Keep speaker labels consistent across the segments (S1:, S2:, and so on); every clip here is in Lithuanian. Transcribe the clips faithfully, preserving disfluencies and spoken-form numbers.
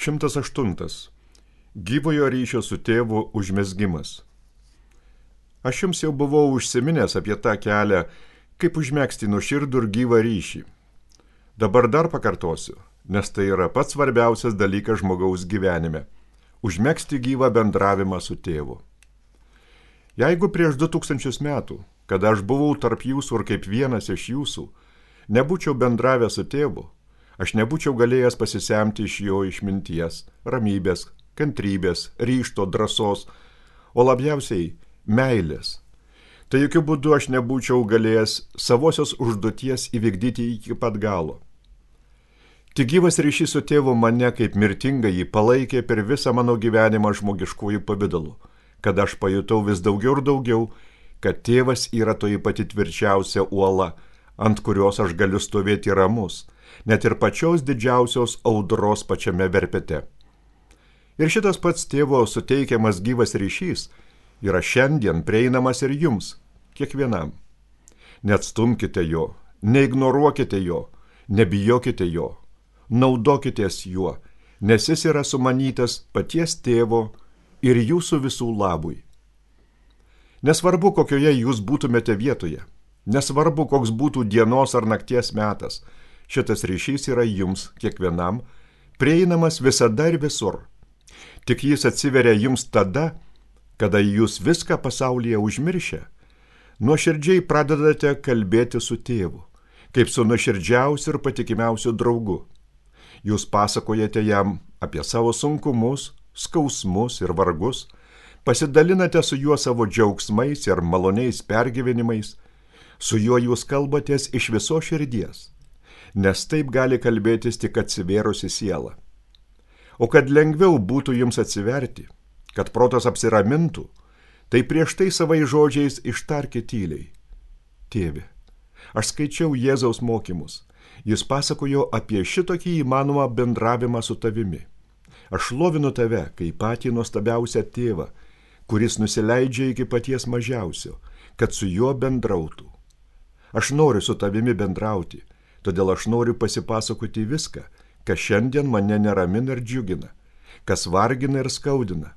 S1: šimtas aštuntas. Gyvojo ryšio su tėvu užmezgimas. Aš jums jau buvau užsiminęs apie tą kelią, kaip užmegzti nuoširdų ir gyvą ryšį. Dabar dar pakartosiu, nes tai yra pats svarbiausias dalykas žmogaus gyvenime – užmegzti gyvą bendravimą su tėvu. Jeigu prieš du tūkstančius metų, kada aš buvau tarp jūsų ir kaip vienas iš jūsų, nebūčiau bendravęs su tėvu, aš nebūčiau galėjęs pasisemti iš jo išminties, ramybės, kantrybės, ryžto, drąsos, o labiausiai meilės. Tai jokių būdų aš nebūčiau galėjęs savosios užduoties įvykdyti iki pat galo. Tik gyvas ryšys su tėvu mane kaip mirtinga jį palaikė per visą mano gyvenimą žmogiškųjų pavidalu, kad aš pajutau vis daugiau ir daugiau, kad tėvas yra toji pati tvirčiausia uola, ant kurios aš galiu stovėti ramus, net ir pačios didžiausios audros pačiame verpete. Ir šitas pats tėvo suteikiamas gyvas ryšys yra šiandien prieinamas ir jums, kiekvienam. Neatstumkite jo, neignoruokite jo, nebijokite jo, naudokitės juo, nes jis yra sumanytas paties tėvo ir jūsų visų labui. Nesvarbu, kokioje jūs būtumėte vietoje, nesvarbu, koks būtų dienos ar nakties metas, šitas ryšys yra jums, kiekvienam, prieinamas visada ir visur. Tik jis atsiveria jums tada, kada jūs viską pasaulyje užmiršę, nuoširdžiai pradedate kalbėti su tėvu, kaip su nuoširdžiausiu ir patikimiausiu draugu. Jūs pasakojate jam apie savo sunkumus, skausmus ir vargus, pasidalinate su juo savo džiaugsmais ir maloniais pergyvenimais, su juo jūs kalbatės iš viso širdies, nes taip gali kalbėtis tik atsivėrusi siela. O kad lengviau būtų jums atsiverti, kad protas apsiramintų, tai prieš tai savai žodžiais ištarkite tyliai. Tėve, aš skaičiau Jėzaus mokymus. Jis pasakojo apie šitokį įmanomą bendravimą su tavimi. Aš šlovinu tave kaip patį nuostabiausią tėvą, kuris nusileidžia iki paties mažiausio, kad su juo bendrautų. Aš noriu su tavimi bendrauti, todėl aš noriu pasipasakoti viską, kas šiandien mane neramina ir džiugina, kas vargina ir skaudina,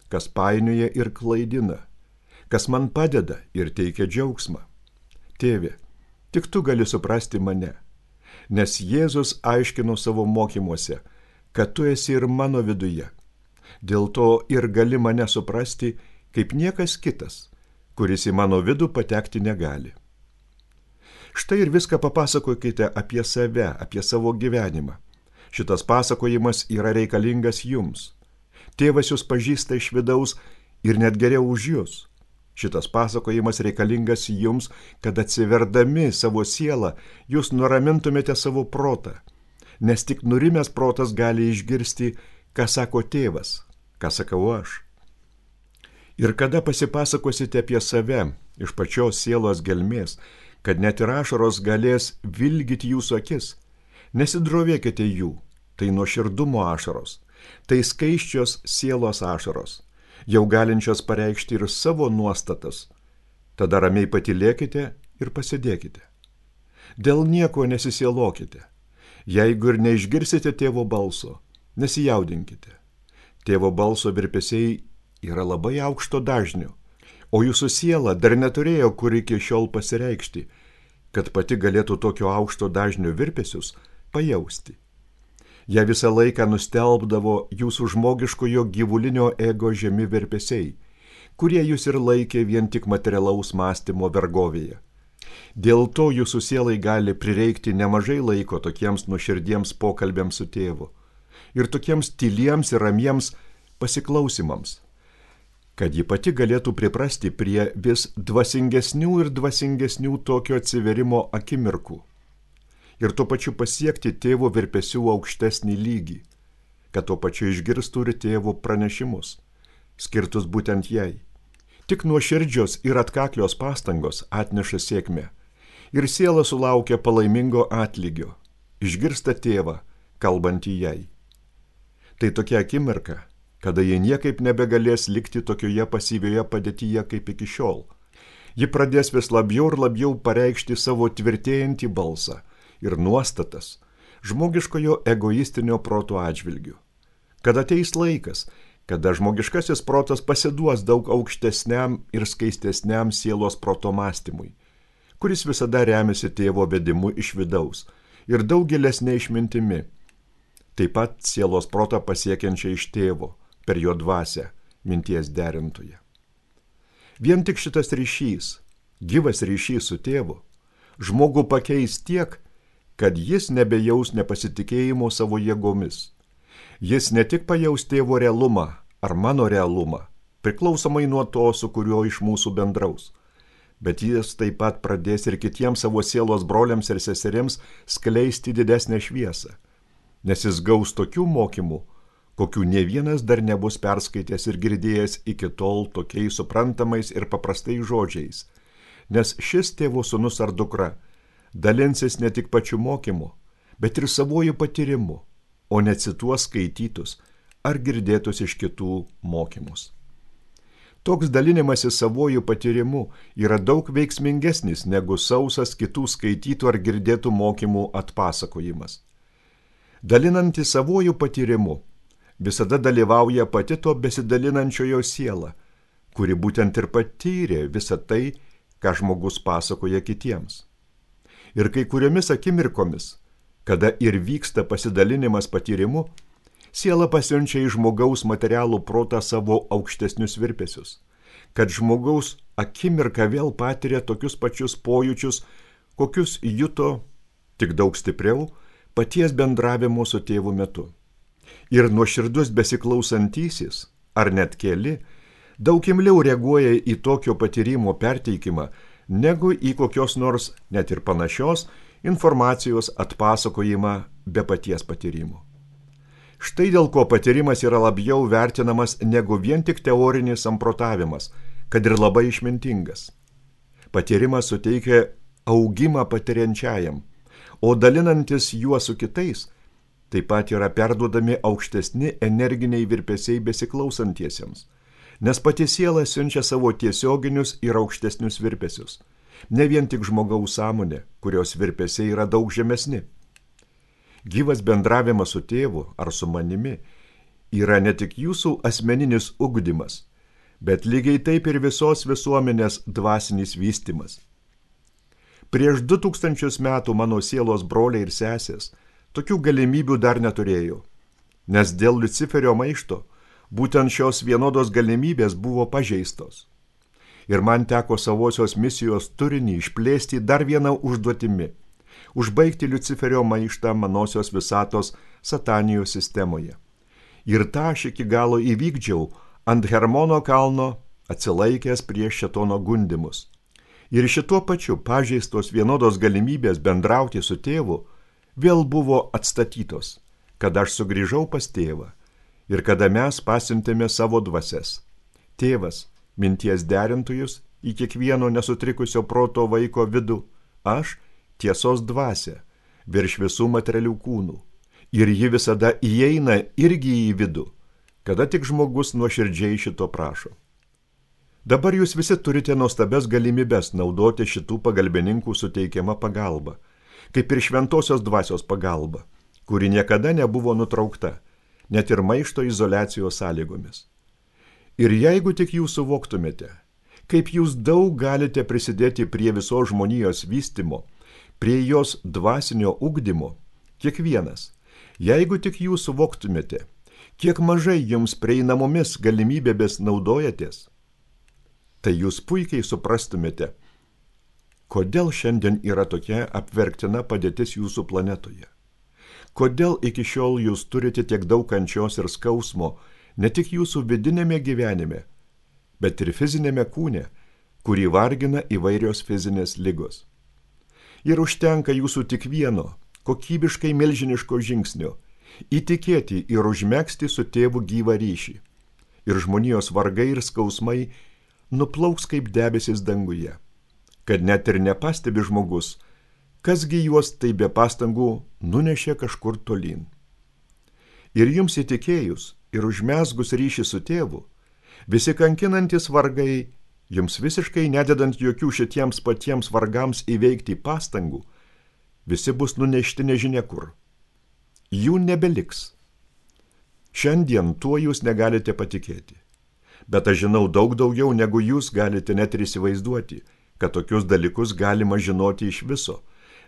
S1: kas painioja ir klaidina, kas man padeda ir teikia džiaugsmą. Tėve, tik tu gali suprasti mane, nes Jėzus aiškino savo mokymuose, kad tu esi ir mano viduje. Dėl to ir gali mane suprasti kaip niekas kitas, kuris į mano vidų patekti negali. Štai ir viską papasakokite apie save, apie savo gyvenimą. Šitas pasakojimas yra reikalingas jums. Tėvas jūs pažįsta iš vidaus ir net geriau už jūs. Šitas pasakojimas reikalingas jums, kad atsiverdami savo sielą, jūs nuramintumėte savo protą, nes tik nurimęs protas gali išgirsti, ką sako tėvas, ką sakau aš. Ir kada pasipasakosite apie save iš pačios sielos gelmės, kad net ir ašaros galės vilgyti jūsų akis, nesidrovėkite jų, tai nuoširdumo ašaros, tai skaisčios sielos ašaros, jau galinčios pareikšti ir savo nuostatas. Tada ramiai patylėkite ir pasidėkite. Dėl nieko nesisielokite. Jeigu ir neišgirsite tėvo balso, nesijaudinkite. Tėvo balso virpesiai yra labai aukšto dažnio, o jūsų siela dar neturėjo kur iki šiol pasireikšti, kad pati galėtų tokio aukšto dažnio virpesius pajausti. Ją visą laiką nustelbdavo jūsų žmogiškojo gyvulinio ego žemi virpesiai, kurie jūs ir laikė vien tik materialaus mąstymo vergovėje. Dėl to jūsų sielai gali prireikti nemažai laiko tokiems nuoširdiems pokalbėms su tėvu ir tokiems tyliems ir ramiems pasiklausimams, kad ji pati galėtų priprasti prie vis dvasingesnių ir dvasingesnių tokio atsiverimo akimirkų. Ir tuo pačiu pasiekti tėvo virpesių aukštesnį lygį, kad tuo pačiu išgirstų ir tėvo pranešimus, skirtus būtent jai. Tik nuoširdžios ir atkaklios pastangos atneša sėkmę, ir siela sulaukia palaimingo atlygio, išgirsta tėvą, kalbantį jai. Tai tokia akimirka, kada ji niekaip nebegalės likti tokioje pasyvioje padėtyje kaip iki šiol. Ji pradės vis labiau ir labiau pareikšti savo tvirtėjantį balsą ir nuostatas žmogiškojo egoistinio proto atžvilgiu, kad ateis laikas, kada žmogiškasis protas pasiduos daug aukštesniam ir skaistesniam sielos proto mąstymui, kuris visada remiasi tėvo vedimu iš vidaus ir daug gilesnė išmintimi, taip pat sielos protą pasiekiančia iš tėvo per jo dvasią, minties derintoje. Vien tik šitas ryšys, gyvas ryšys su tėvu, žmogų pakeis tiek, kad jis nebejaus nepasitikėjimo savo jėgomis. Jis ne tik pajaus tėvo realumą ar mano realumą, priklausomai nuo to, su kuriuo iš mūsų bendraus, bet jis taip pat pradės ir kitiems savo sielos broliams ir seserims skleisti didesnę šviesą, nes jis gaus tokių mokymų, kokių ne vienas dar nebus perskaitęs ir girdėjęs iki tol tokiais suprantamais ir paprastais žodžiais, nes šis tėvo sūnus ar dukra dalinsis ne tik pačiu mokymu, bet ir savojų patyrimu, o ne cituos skaitytus ar girdėtus iš kitų mokymus. Toks dalinimasis savojų patyrimu yra daug veiksmingesnis negu sausas kitų skaitytų ar girdėtų mokymų atpasakojimas. Dalinantis savojų patyrimu visada dalyvauja pati to besidalinančiojo siela, kuri būtent ir patyrė visą tai, ką žmogus pasakoja kitiems. Ir kai kuriomis akimirkomis, kada ir vyksta pasidalinimas patyrimu, siela pasiunčia į žmogaus materialų protą savo aukštesnius virpesius, kad žmogaus akimirka vėl patiria tokius pačius pojūčius, kokius juto, tik daug stipriau, paties bendravimo su tėvu metu. Ir nuoširdus besiklausantysis, ar net keli, daug imliau reaguoja į tokio patyrimo perteikimą, negu į kokios nors, net ir panašios, informacijos atpasakojimą be paties patyrimo. Štai dėl ko patyrimas yra labiau vertinamas negu vien tik teorinis samprotavimas, kad ir labai išmintingas. Patyrimas suteikia augimą patiriančiajam, o dalinantis juo su kitais, taip pat yra perduodami aukštesni energiniai virpesiai besiklausantiesiems, nes pati siela siunčia savo tiesioginius ir aukštesnius virpesius, ne vien tik žmogaus sąmonė, kurios virpesiai yra daug žemesni. Gyvas bendravimas su tėvu ar su manimi yra ne tik jūsų asmeninis ugdymas, bet lygiai taip ir visos visuomenės dvasinis vystymas. Prieš du tūkstančius metų mano sielos broliai ir sesės tokių galimybių dar neturėjo, nes dėl Liuciferio maišto būtent šios vienodos galimybės buvo pažeistos. Ir man teko savosios misijos turinį išplėsti dar vieną užduotimi – užbaigti Liuciferio maištą manosios visatos satanijos sistemoje. Ir tą aš iki galo įvykdžiau ant Hermono kalno, atsilaikęs prieš šėtono gundymus. Ir šituo pačiu pažeistos vienodos galimybės bendrauti su tėvu vėl buvo atstatytos, kad aš sugrįžau pas tėvą ir kada mes pasiuntėme savo dvasias. Tėvas, minties derintojus į kiekvieno nesutrikusio proto vaiko vidų, aš tiesos dvasia, virš visų materialių kūnų. Ir ji visada įeina irgi į vidų, kada tik žmogus nuoširdžiai šito prašo. Dabar jūs visi turite nuostabias galimybes naudoti šitų pagalbininkų suteikiamą pagalbą, kaip ir šventosios dvasios pagalba, kuri niekada nebuvo nutraukta, net ir maišto izoliacijos sąlygomis. Ir jeigu tik jūs suvoktumėte, kaip jūs daug galite prisidėti prie visos žmonijos vystymo, prie jos dvasinio ugdymo, kiekvienas, jeigu tik jūs suvoktumėte, kiek mažai jums prieinamomis galimybėmis naudojatės, tai jūs puikiai suprastumėte, kodėl šiandien yra tokia apverktina padėtis jūsų planetoje. Kodėl iki šiol jūs turite tiek daug kančios ir skausmo, ne tik jūsų vidinėme gyvenime, bet ir fizinėme kūne, kurį vargina įvairios fizinės ligos. Ir užtenka jūsų tik vieno, kokybiškai milžiniško žingsnio, įtikėti ir užmegzti su tėvu gyvą ryšį. Ir žmonijos vargai ir skausmai nuplauks kaip debesis danguje, kad net ir nepastebi žmogus, kasgi juos tai be pastangų nunešė kažkur tolyn. Ir jums įtikėjus ir užmezgus ryšį su tėvu, visi kankinantis vargai, jums visiškai nededant jokių šitiems patiems vargams įveikti pastangų, visi bus nunešti nežinia kur. Jų nebeliks. Šiandien tuo jūs negalite patikėti. Bet aš žinau daug daugiau, negu jūs galite net ir įsivaizduoti, kad tokius dalykus galima žinoti iš viso,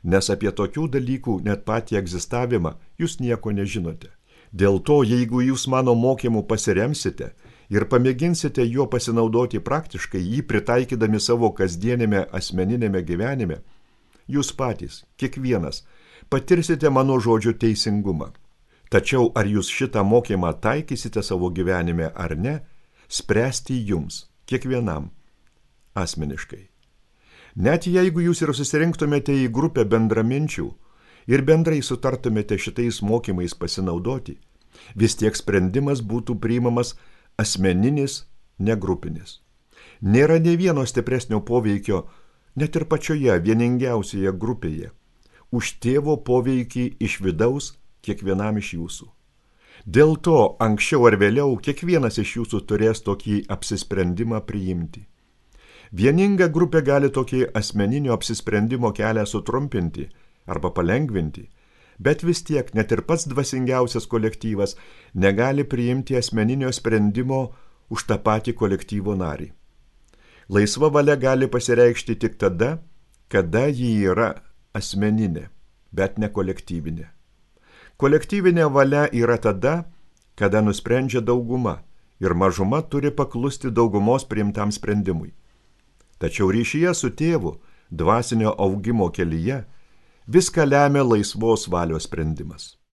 S1: nes apie tokių dalykų net patį egzistavimą jūs nieko nežinote. Dėl to, jeigu jūs mano mokymu pasiremsite ir pamėginsite juo pasinaudoti praktiškai, jį pritaikydami savo kasdienėme asmeninėme gyvenime, jūs patys, kiekvienas, patirsite mano žodžio teisingumą. Tačiau ar jūs šitą mokymą taikysite savo gyvenime ar ne, spręsti jums, kiekvienam, asmeniškai. Net jeigu jūs ir susirinktumėte į grupę bendraminčių ir bendrai sutartumėte šitais mokymais pasinaudoti, vis tiek sprendimas būtų priimamas asmeninis, negrupinis. Nėra nė vieno stipresnio poveikio, net ir pačioje vieningiausioje grupėje, už tėvo poveikį iš vidaus kiekvienam iš jūsų. Dėl to anksčiau ar vėliau kiekvienas iš jūsų turės tokį apsisprendimą priimti. Vieninga grupė gali tokį asmeninio apsisprendimo kelią sutrumpinti arba palengvinti, bet vis tiek net ir pats dvasingiausias kolektyvas negali priimti asmeninio sprendimo už tą patį kolektyvo narį. Laisva valia gali pasireikšti tik tada, kada ji yra asmeninė, bet ne kolektyvinė. Kolektyvinė valia yra tada, kada nusprendžia dauguma ir mažuma turi paklusti daugumos priimtam sprendimui. Tačiau ryšyje su tėvu, dvasinio augimo kelyje, viską lemia laisvos valios sprendimas.